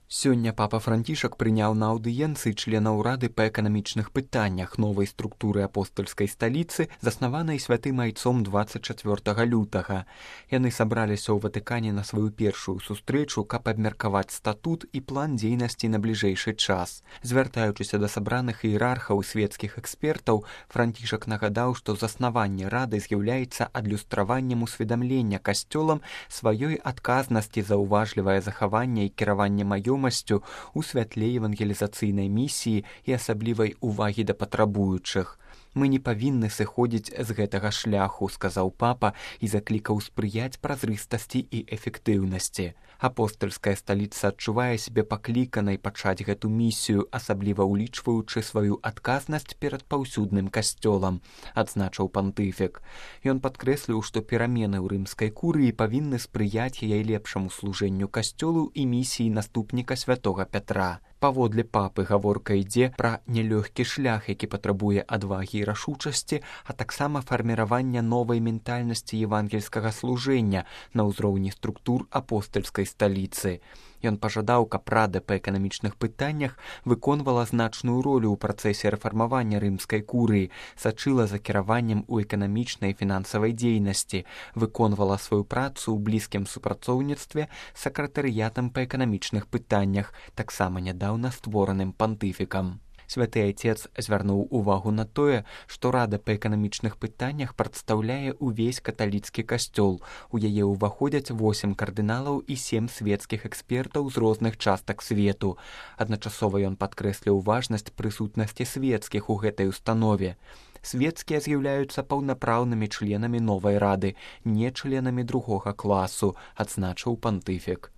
Сёння папа Францішак прыняў на аўдыенцыі членаў рады па эканамічных пытаннях новай структуры апостальскай сталіцы, заснаванай святым айцом 24 лютага. Яны сабраліся ў Ватыкане на сваю першую сустрэчу, каб абмеркаваць статут і план дзейнасці на бліжэйшы час. Звяртаючыся да сабраных іерархаў і свецкіх экспертаў, Францішак нагадаў, што заснаванне рады з'яўляецца адлюстраваннем усведамлення касцёлам сваёй адказнасці за ўважлівае захаванне і кіраванне маёмасцю у святле евангелізацыйнай місіі і асаблівай увагі да патрабуючых. «Мы не павінны сыходзіць з гэтага шляху», — сказаў папа і заклікаў спрыяць празрыстасці і эфектыўнасці. Апостальская сталіца адчувае сябе пакліканай пачаць гэту місію, асабліва ўлічваючы сваю адказнасць перад паўсюдным касцёлам, адзначыў пантыфік. Ён падкрэсліў, што перамены ў рымскай курыі павінны спрыяць яе лепшаму служэнню касцёлу і місіі наступніка святога Пятра. Паводле папы гаворка ідзе пра нялёгкі шлях, які патрабуе адвагі і рашучасці, а таксама фарміравання новай ментальнасці евангельскага служэння на ўзроўні структур апостальскай сталіцы. Ён пажадаў, каб рада па эканамічных пытаннях выконвала значную ролю ў працэсе рэфармавання рымскай курыі, сачыла за кіраваннем у эканамічнай і фінансавай дзейнасці, выконвала сваю працу ў блізкім супрацоўніцтве з сакратарыятам па эканамічных пытаннях, таксама нядаўна створаным пантыфікам. Святы Айцец звярнуў увагу на тое, што рада па эканамічных пытаннях прадстаўляе ўвесь каталіцкі касцёл. У яе ўваходзяць 8 кардыналаў і 7 свецкіх экспертаў з розных частак свету. Адначасова ён падкрэсліў важнасць прысутнасці свецкіх у гэтай установе. Свецкія з'яўляюцца паўнапраўнымі членамі новай рады, не членамі другога класу, адзначыў пантыфік.